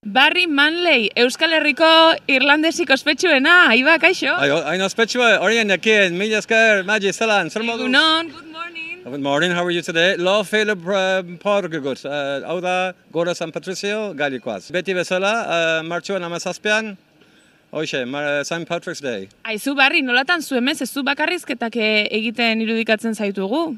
Barry Manley, Euskal Herriko irlandesik ospetsuena, Iba, kaixo? Hain ospetsua, horien ekien, mila esker, Magi, zelan, zer moduz? Egunon, good morning. Good morning, how are you today? Lo fele porgegut. Hau da, Gora San Patricio, gailikoaz. Beti bezala, martxuan amazazpean, hoxe, St. Patrick's Day. Aizu, Barry, nolatan zu emez, ez zu bakarrizketak egiten irudikatzen zaitugu?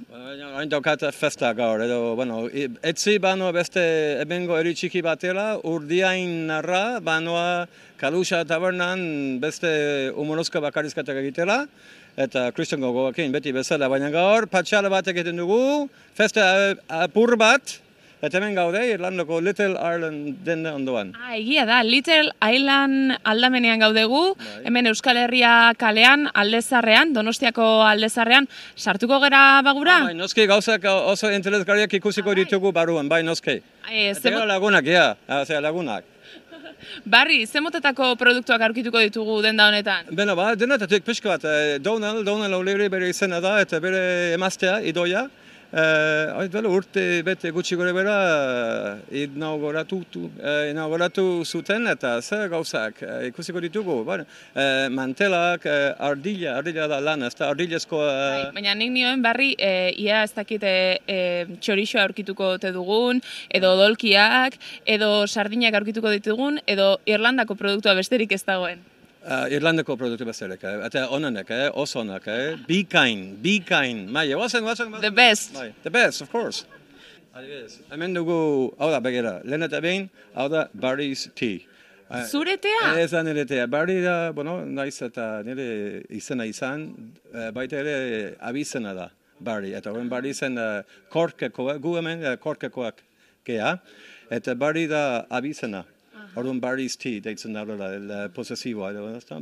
Hain daukat festa gaur, edo, bueno, etzi banoa beste ebengo eri txiki batela, urdiain narra, banoa Kaluxa tabernan beste humorozko bakarrizketak egitela, eta Christian gogoakin beti bezala, baina gaur patxala bat egiten dugu, festa apur bat, eta hemen gaude, Irlandako Little Ireland denda ondoan. Egia da, Little Island aldamenean gaudegu, hemen Euskal Herria kalean, aldezarrean, Donostiako aldezarrean, sartuko gera bagura? Bai, noski gauzak oso interesgarriak ikusiko ditugu baruan, bai noski. Eta lagunak, lagunak. Barry, ze motetako produktuak aurkituko ditugu denda honetan? Beno, denetatik pixka bat, Donald O'Leary bere izena da, eta bere emaztea, idoia. Urte bete gutxi gore bera inauguratu zuten eta zer gauzak ikusiko ditugu. Mantelak, ardilla da lan, ez da ardillezkoa... Baina nik nioen, Barry, ia ez dakit txorixoa aurkituko te dugun, edo dolkiak, edo sardinak aurkituko ditugun, edo Irlandako produktua besterik ez dagoen. Irlandako produktu bezalek, eta onanek, oso onak, be kind, maia, The best. The best, of course. Hemen dugu, hau da, begera, lehen eta behin, hau da, Barry's Tea. Zure tea? Ez da nire tea, Barry da, naiz eta nire izena izan, baita ere abizena da, Barry, eta horren Barry zen korkekoak, gu hemen korkekoak gea, eta Barry da abizena. Orduan Barry's Tea, deitzen daurela, el posesiboa,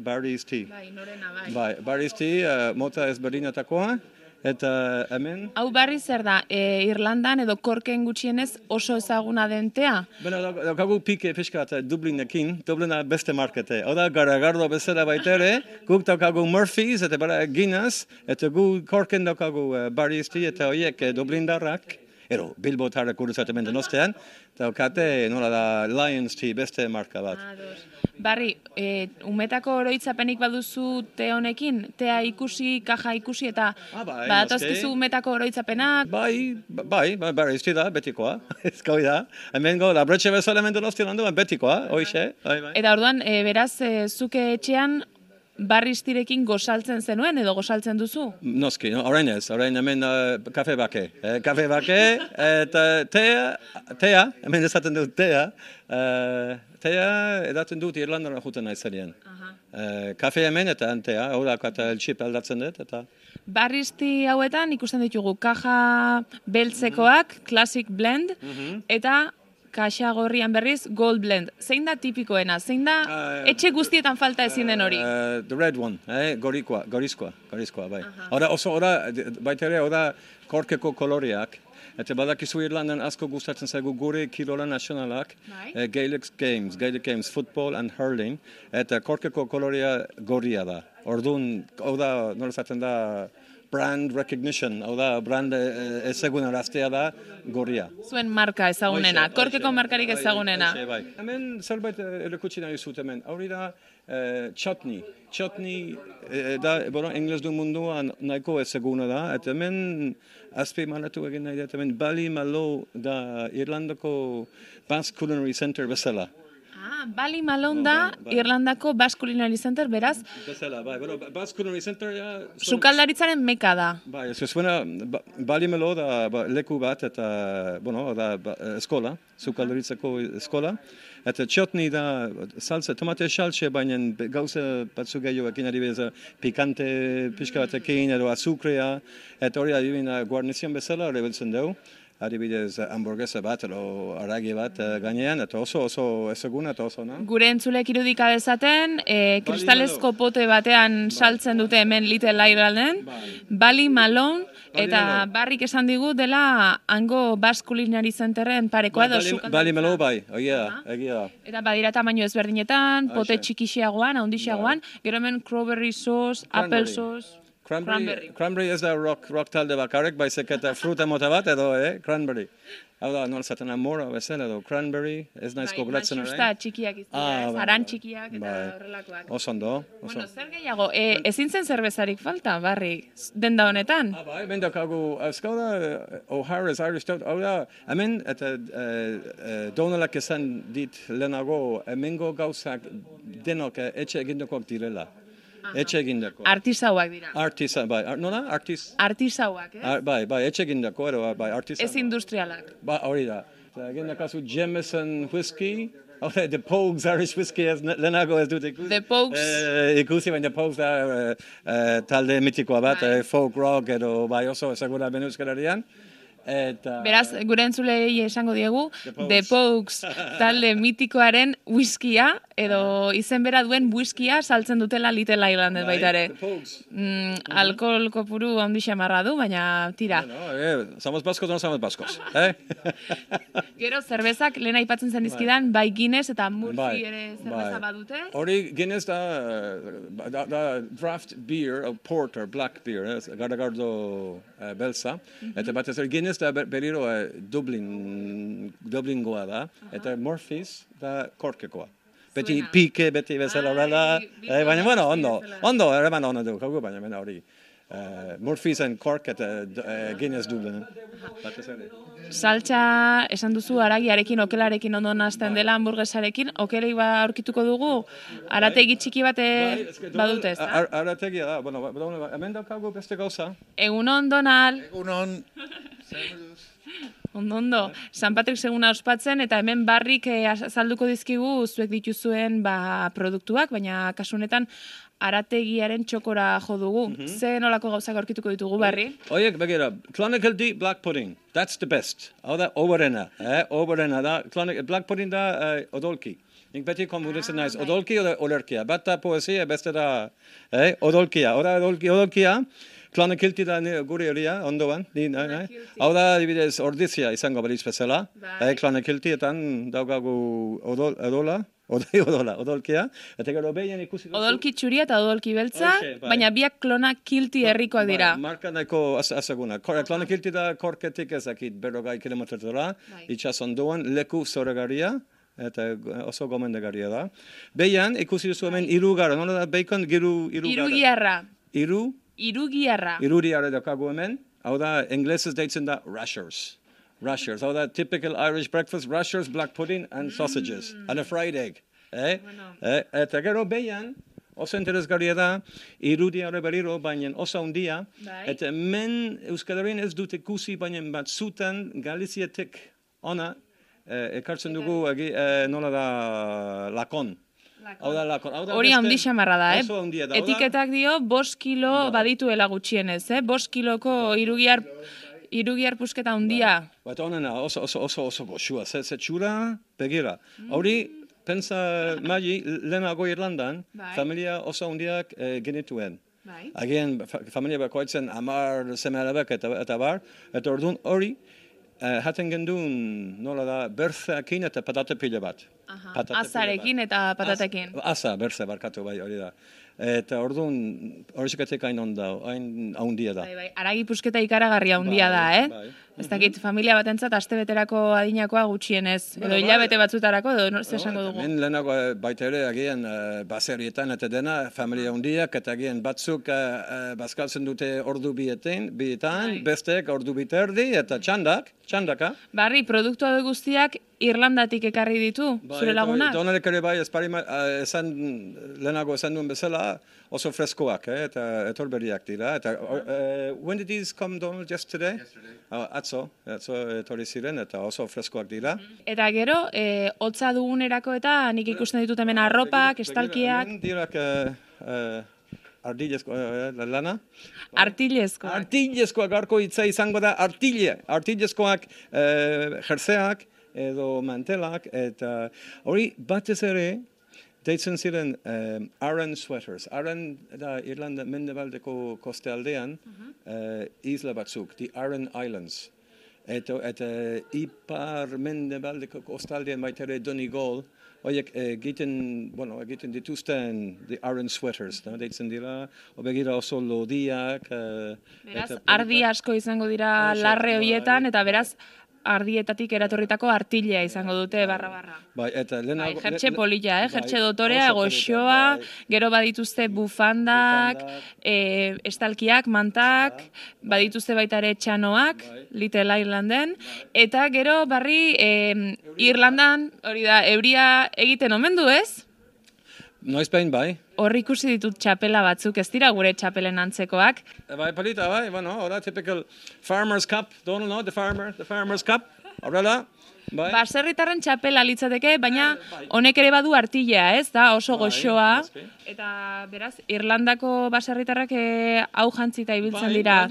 Barry's Tea. Bai, norena, bai. Bai, Barry's Tea, mota ezberdinetakoa, eta hemen... Hau Barry zer da, Irlandan edo Korken gutxienez oso ezaguna den tea? Beno, daukagu pike pixka eta Dublinekin, Dublina beste markete. Hau da, Garagardo bezala baitere, guk daukagu Murphy's, eta bara Guinness, eta gu Korken daukagu Barry's Tea, eta horiek Dublindarrak, ero, Bilbotarrak uruzat hemen Donostian, daukate, nola da, Lions Tea, beste marka bat. Barry, umetako oroitzapenik baduzu te honekin? Tea ikusi, kaja ikusi, eta badatozkizu umetako oroitzapenak? Bai, Barry's Tea da, betikoa, ezkoi da. Hemen go, labretxe bezala hemen Donostian handuan, betikoa, hoixe. Eta orduan, beraz, zuke etxean, Barry's Tearekin gozaltzen zenuen edo gozaltzen duzu? Noski, orain ez, orain hemen kafe bake. Kafe bake, eta tea, hemen esaten dut tea edaten dut Irlandara juten naizarien. Kafe hemen eta tea, hau da, eta el-chip aldatzen dut, eta... Barry's Tea hauetan ikusten ditugu kaja beltzekoak, classic blend, eta kaxa gorrian berriz Gold Blend. Zein da tipikoena? Zein da etxe guztietan falta ezin den hori? The red one, gorizkoa, bai. Ora, baita ere, korkeko koloreak. Eta badakizu Irlandan asko gustatzen zaigu gure kirola nazionalak, Gaelic Games, football and hurling, eta korkeko kolorea gorria da. Orduan, hau da, nola zaten da, brand recognition, hau da, brand ezaguna rastea da, gorria. Zuen marka ezagunena, korkeko markarik ezagunena. Hemen zerbait erakutsi nahi zut hemen, hori da chutney. Chutney da, Engles du munduan nahiko ezaguna da, eta hemen azpimarratu egin nahi da, hemen Ballymaloe da Irlandako Basque Culinary Center bezala. Ballymaloe da Irlandako Basque Culinary Center, beraz? Bezala, bai, Basque Culinary Center... Sukaldaritzaren meka da. Bai, ez zuena, Ballymaloe da leku bat eta, da eskola, sukaldaritzako eskola. Eta chutney da salsa, tomate salsa, baina gauza batzu gehiagoekin adibidez pikante pixka batekin edo azukrea, eta hori adibina guarnizion bezala rebiltzen dugu. Adibidez, hamburguesa bat edo aragi bat gainean, eta oso ezaguna eta oso, no? Gure entzulek irudika dezaten, kristalezko pote batean saltzen dute hemen Little Irlanden, Ballymaloe, eta Barrik esan digu dela hango Basque Culinary Centerren parekoa edo sukaldaritza. Ballymaloe bai, egia da. Eta badira tamaino ezberdinetan, pote txikixiagoan, haundixeagoan, gero hemen cranberry sauce, apple sauce... Cranberry ez da rock talde bakarrik, baizik eta fruta mota bat edo, cranberry. Hau da, nola zaten amora bezala edo cranberry, ez naiz gogoratzen orain. Xusta txikiak izan, zaran txikiak eta horrelakoak. Osondo. Bueno, zer gehiago, ezin zen zerbezarik falta, Barry, denda honetan? Bai, mendakagu, ezkau da, O'Hara's Irish Stout, hau da, hemen, eta Donalak esan dit lehenago, hemengo gauzak denok etxe egindakoak direla. Etxe egindako. Artisauak dira. Bai, nola? Artisauak, Bai, etxe egindako, bai, artisau. Ez industrialak. Ba, hori da. Egindakazu Jameson whisky, the Pogues Irish whisky ez lehenago ez dut ikusi. The Pogues. Ikusi, baina Pogues da talde mitikoa bat, folk rock edo bai oso ezaguna ben Euskalarian. Beraz, gure entzulei esango diegu, The Pogues talde mitikoaren whiskia, edo izen bera duen whiskia saltzen dutela Little Islanden baitare. Alkohol kopuru handi xamarra du, baina tira. Somos vascos, no somos vascos. Gero, zerbezak, lehen aipatzen zen dizkidan, bai Guinness eta Murphy ere zerbeza badute. Hori Guinness da draft beer, porter, black beer, garagardo belza, eta batez Guinness da berriro Dublingoa da, eta Murphy's da korkekoa. Beti pike, beti bezala horrela, baina, bueno, ondo, ereman ondo du, kaugu, baina hori. Murphy's and Cork eta Guinness Dublin. Saltxa esan duzu aragiarekin, okelarekin ondo nazten dela hamburguesarekin, okelei aurkituko dugu, arategi txiki bate badute, ez da? Arategia da, bueno, hemen daukagu beste gauza. Egunon, Donal. Egunon. Ondo. San Patrik seguna ospatzen, eta hemen Barrik azalduko dizkigu zuek dituzuen produktuak, baina kasunetan arategiaren txokora jo dugu. Ze nolako gauzak aurkituko ditugu, Barri? Oiek, begira, Clonical D black pudding, that's the best. Hau da, oberena da, black pudding da odolki. Nik beti komunitzen naiz, odolki o olerkia. Bata poesia, beste da odolkia. Odolkia, Clonakilty da gure horia, ondoan. Hau da, dibidez, ordizia izango balitz bezala. Clonakiltyetan daukagu odolkia. Eta gero behien ikusi duzu. Odolki txuria eta odolki beltza, baina biak Clonakilty herrikoak dira. Marka nahiko azaguna. Clonakilty da korketik ezakit berrogei kilometrora, itxas ondoan, leku zoregaria, eta oso gomendagarria da. Behien ikusi duzu hemen irugarra, nola da bacon irugiarra. Irugiarra daukagu hemen, hau da, inglesez deitzen da rashers. Hau da, typical Irish breakfast, rashers, black pudding, and sausages, and a fried egg. Eta gero behian, oso interesgarria da, irudiare berriro, baina oso handia, eta men Euskal ez dut ikusi, baina batzutan Galiziatik ona, ekartzen dugu, nola da, lakon. Hori handi xamarra da, Etiketak dio 5 kilo badituela gutxienez, 5 kiloko irugiar pusketa handia. Eta honena, oso goxua, zetxura, begira. Hori, pensa magi, lehenago Irlandan, familia oso handiak genituen. Agian, familia bakoitzen 10 seme-alabak eta bar, eta orduan hori, haten gendun, nola da, berzeakin eta patate pila bat. Azarekin eta patatekin. Aza, berze, barkatu bai, hori da. Eta orduan, horrexikatek hain handia da. Aragi pusketa ikaragarria handia da, Ez dakit, familia batentzat astebeterako adinakoa gutxienez, edo hilabete batzutarako, edo esango dugu. Hemen lehenago baita ere, agian baserietan eta dena, familia handiak, eta agian batzuk bazkaltzen dute ordu bietan, bestek ordu biterdi, eta txandaka. Barri, produktu hau guztiak Irlandatik ekarri ditu, zure lagunak? Donalek ere bai, lehenago esan duen bezala, oso freskoak, eta etorberiak dira. When did these come, Donald, yesterday? Atzo etorri ziren, eta oso freskoak dira. Eta gero, hotza dugunerako eta nik ikusten ditut hemen arropak, estalkiak. Dirak ardilezko lana? Artilezkoak. Artilezkoak garko hitza izango da artilezkoak jerseak edo mantelak, eta hori batez ere deitzen ziren Aran sweaters. Aran da Irlanda mendebaldeko kostealdean isla batzuk, the Aran Islands. Eta ipar mendebaldeko kostaldean baitere Donegal, horiek egiten dituzten the iron sweaters, deitzen dira, begira oso lodiak. Beraz, ardi asko izango dira larre horietan, eta beraz, ardietatik eratorritako artilea izango dute barra-barra. Bai, eta lehenago... Jertxe polilla, jertxe dotorea, goxoa, gero badituzte bufandak, estalkiak, mantak, badituzte baita ere txanoak, Little Irlanden, eta gero barri Irlandan, hori da, euria egiten omen du, ez? Noiz behin, bai. Hor ikusi ditut txapela batzuk, ez dira gure txapelen antzekoak. Bai, polita, bai, hora typical Farmer's Cup, don't know, the Farmer's Cup, horrela, bai. Baserritarren txapela litzateke, baina honek ere badu artilea, ez da, oso goxoa. Eta beraz, Irlandako baserritarrak hau jantzita ibiltzen dira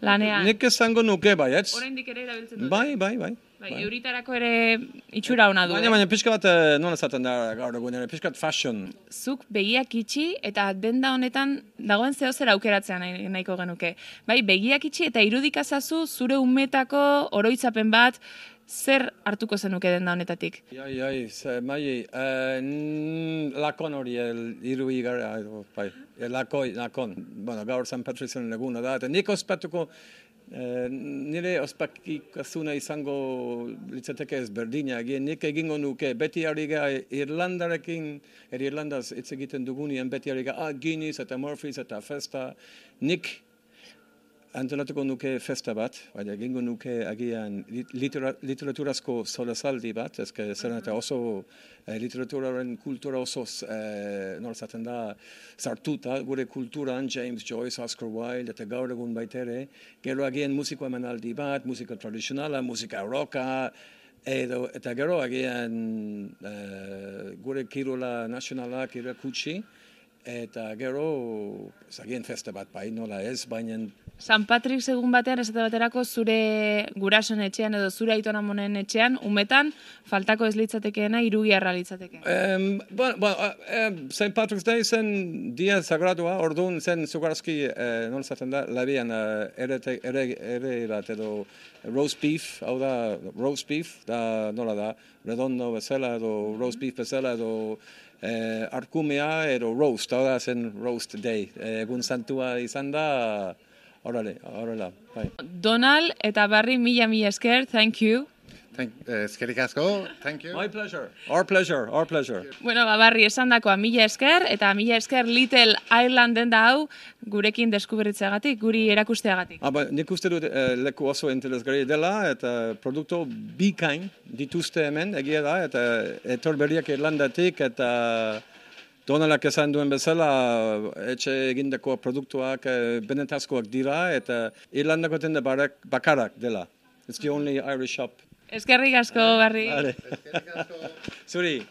lanean. Nik esango nuke, bai, ez? Oraindik ere erabiltzen dute. Bai. Euritarako ere itxura ona du. Baina pixka bat, nola zaten da gaur egun ere, pixka bat fashion. Zuk begiak itxi eta denda honetan dagoen zehozer aukeratzea nahiko genuke. Bai, begiak itxi eta irudikazazu zure umetako oroitzapen bat, zer hartuko zenuke denda honetatik? Lakon hori, irui gara, bai, lakon. Bueno, gaur San Patrizion eguna da, eta nik ospatuko, nire ospakikasuna izango litzateke ez berdina, nik egingo nuke, beti harriga Irlandarekin, Irlandaz hitz egiten dugunean, beti harriga Guinness eta Murphy's eta festa, nik antolatuko nuke festa bat, baina egingo nuke agian literaturazko solasaldi bat, ezke zer eta oso literaturaren kultura oso norzaten da sartuta, gure kulturan James Joyce, Oscar Wilde, eta gaur egun baitere, gero agian musiko emanaldi bat, musika tradizionala, musika rocka, eta gero agian gure kirola nazionalak irakutsi, eta gero agian festa bat bai, nola ez, baina San Patrick egun batean, esate baterako zure gurasoen etxean edo zure aitonamonen etxean, umetan, faltako ez litzatekeena, irugiarra litzateke. St. Patrick's Day zen dia sagradua, orduan zen zugarazki, nola zaten da, labian ere bat edo roast beef, hau da roast beef, da nola da, redondo bezala edo roast beef bezala edo arkumea edo roast, hau da zen roast day, egun santua izan da, horrela, bai. Donald eta Barry, mila esker, thank you. Eskerrik asko, thank you. My pleasure, our pleasure. Bueno, Barry, esan dakoa mila esker, eta mila esker Little Irlanden da hau gurekin deskuberritzeagatik, guri erakusteagatik. Nik uste dut leku oso interesgarri dela, eta produktu bikain dituzte hemen, egia da, eta etor berriak Irlandatik, eta Donalak esan duen bezala, etxe egindako produktuak benetazkoak dira, eta Irlandako tende bakarak dela. It's the only Irish shop. Eskerrik asko, Barry. Zuri.